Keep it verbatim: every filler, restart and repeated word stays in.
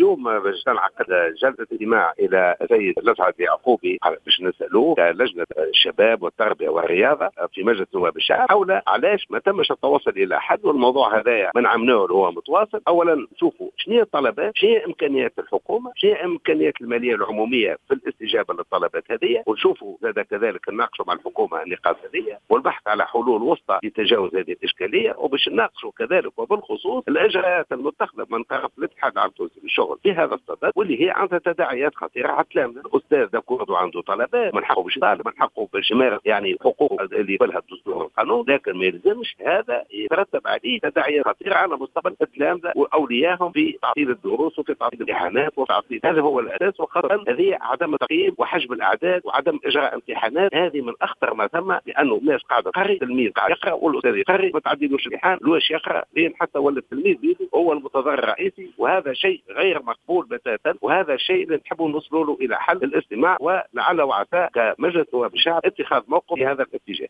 اليوم باش تنعقد جلسه استماع الى السيد لسعد يعقوبي باش نسالوه كلجنه الشباب والتربية والرياضة في مجلس نواب الشعب حول علاش ما تمش التوصل الى حل، والموضوع هذايا من عمناه هو متواصل. اولا نشوفوا شنو هي الطلبات، شنو هي امكانيات الحكومة، شنو هي امكانيات المالية العمومية في الاستجابة للطلبات هذه، ونشوفوا زاد كذلك نناقشوا مع الحكومة النقاط هذه والبحث على حلول وسطى لتجاوز هذه الاشكالية، وباش نناقشوا كذلك وبالخصوص الاجراءات المتخذة من طرف الاتحاد العام التونسي للشغل في هذا الصدد، واللي هي عندها تداعيات خطيرة على التلامذه. الاستاذ d'accord عنده طلبات، من حقه باش يطالب، من حقه باش يمارس يعني حقوقه اللي يقبلها الدستور والقانون، لكن ما يلزمش هذا يترتب عليه تداعيات خطيرة على مستقبل التلامذه واوليائهم في تعطيل الدروس وفي تعطيل الامتحانات وتعطيل، هذا هو الاساس. وخاصة هذه عدم تقييم وحجب الاعداد وعدم اجراء امتحانات، هذه من اخطر ما ثم، لانه الناس قاعدة تقري، التلميذ قاعد يقرا والاستاذ يقري، ما تعديلوش الامتحان لواش يقرا لين حتى ولا التلميذ بيده هو المتضرر الرئيسي، وهذا شيء غير مقبول بتاتا، وهذا الشيء اللي نحبوا نوصلوا له الى حل الاستماع، ولعل وعسى كمجلس نواب الشعب اتخاذ موقف في هذا الاتجاه.